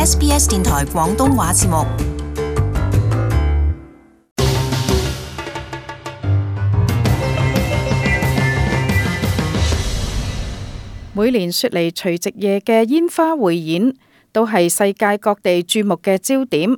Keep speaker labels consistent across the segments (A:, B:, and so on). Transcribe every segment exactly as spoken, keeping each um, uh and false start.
A: S B S 電台廣東話節目。
B: 每年雪梨除夕夜嘅煙花匯演都係世界各地注目嘅焦點，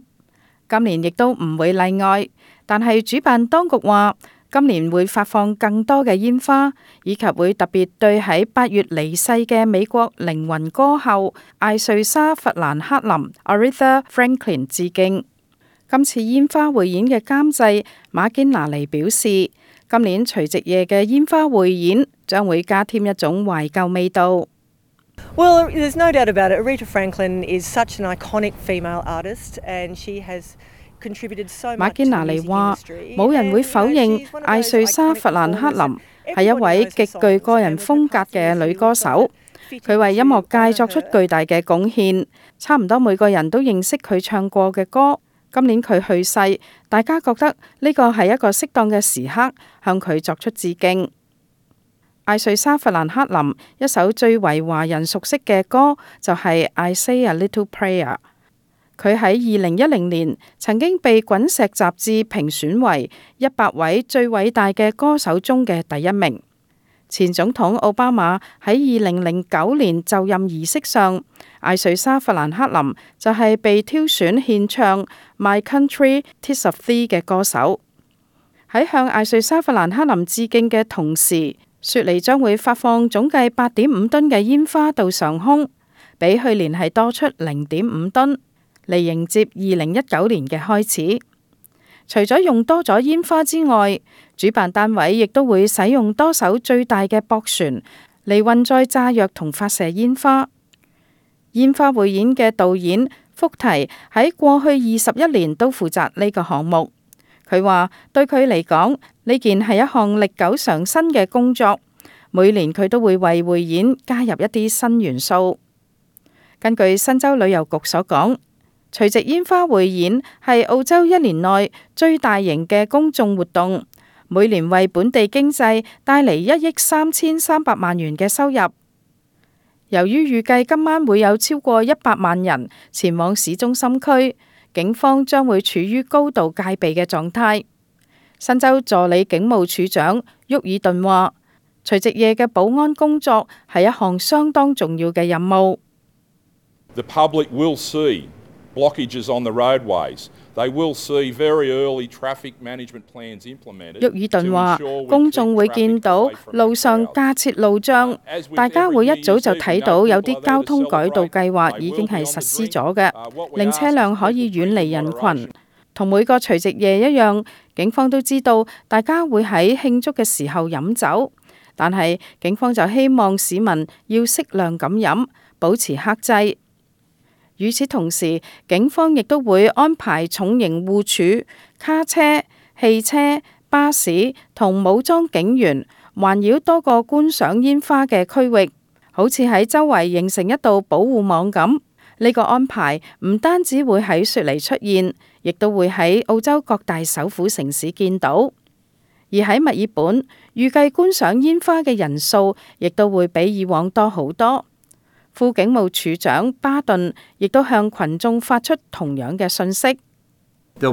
B: 今年亦都唔會例外。但係主辦當局話，今年會發放更多嘅煙花，以及會特別對喺八月離世嘅美國靈魂歌后艾瑞莎·弗蘭克林 （Aretha Franklin） 致敬。今次煙花匯演嘅監製馬堅拿尼表示，今年除夕夜嘅煙花匯演將會加添一種懷舊味道。
C: Well, there's no doubt about it. Aretha Franklin is such an iconic female artist, and she has contributed so much to the music industry.
B: 馬堅拿尼話：冇人會否認艾瑞莎·弗蘭克林係一位極具個人風格嘅女歌手，佢為音樂界作出巨大嘅貢獻，差唔多每個人都認識佢唱過嘅歌。今年佢去世，大家覺得呢個係一個適當嘅時刻，向佢作出致敬。艾瑞莎·弗蘭克林一首最為華人熟悉嘅歌就係、是《I Say a Little Prayer》。佢喺二零一零年曾經被滾石雜誌評選為一百位最偉大嘅歌手中嘅第一名。前總統奧巴馬喺二零零九年就任儀式上，艾瑞莎·弗蘭克林就係被挑選獻唱《My Country Tis of Thee》嘅歌手。喺向艾瑞莎·弗蘭克林致敬嘅同時，雪梨將會發放總計八點五噸嘅煙花到上空，比去年係多出零點五噸，嚟迎接二零一九年嘅開始。除咗用多咗煙花之外，主辦單位亦都會使用多艘最大嘅駁船嚟運載炸藥同發射煙花。煙花匯演嘅導演福提喺過去二十一年都負責呢個項目。佢話對佢嚟講，呢件係一項歷久常新嘅工作，每年佢都會為匯演加入一啲新元素。根據新州旅遊局所講，除夕煙花匯演係澳洲一年內最大型嘅公眾活動，每年為本地經濟帶嚟一億三千三百萬元嘅收入。由於預計今晚會有超過一百萬人前往市中心區，警方將會處於高度戒備嘅狀態。新州助理警務處長沃爾頓話：除夕夜嘅保安工作係一項相當重要嘅任務。
D: The public will see blockages on the roadways. They will see very early traffic management plans implemented.
B: 沃爾頓話：公眾會見到路上架設路障，大家會一早就睇到有啲交通改道計劃已經係實施咗嘅，令車輛可以遠離人群。同每個除夕夜一樣，警方都知道大家會喺慶祝嘅時候飲酒，但係警方就希望市民要適量咁飲，保持克制。與此同時，警方亦都會安排重型護柱、卡車、汽車、巴士同武裝警員環繞多個觀賞煙花嘅區域，好似喺周圍形成一道保護網咁。呢個安排唔單止會喺雪梨出現，亦都會喺澳洲各大首府城市見到。而喺墨爾本，預計觀賞煙花嘅人數亦都會比以往多好多。副警務處長巴頓亦都向群眾發出同樣嘅訊息。巴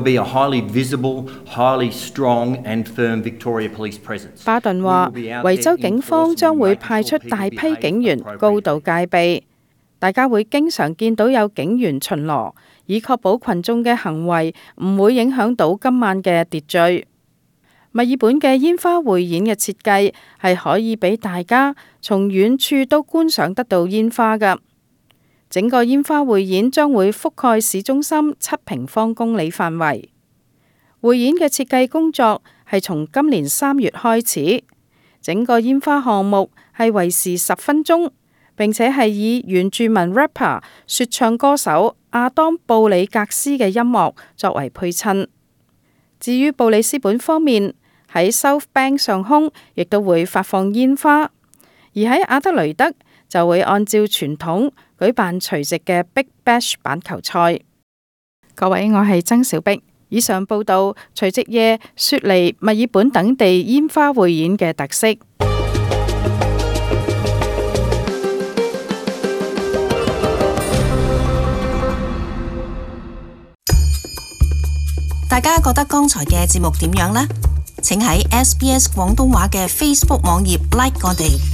B: 頓話：維州警方將會派出大批警員，高度戒備。大家會經常見到有警員巡邏，以確保群眾嘅行為唔會影響到今晚嘅秩序。墨爾本嘅煙花匯演嘅設計係可以俾大家從遠處都觀賞得到煙花㗎。整個煙花匯演將會覆蓋市中心七平方公里範圍。匯演嘅設計工作係從今年三月開始，整個煙花項目係為時十分鐘，並且係以原住民 rapper 說唱歌手亞當布里格斯嘅音樂作為配襯。至於布里斯本方面，喺 South Bank 上空亦都會發放煙花，而喺阿德雷德就會按照傳統舉辦除夕嘅 Big Bash 板球賽。各位，我係曾小碧，以上報道除夕夜雪梨、墨爾本等地煙花匯演嘅特色。
A: 大家覺得剛才嘅節目點樣呢？請喺 S B S 廣東話嘅 Facebook 網頁 like 我哋。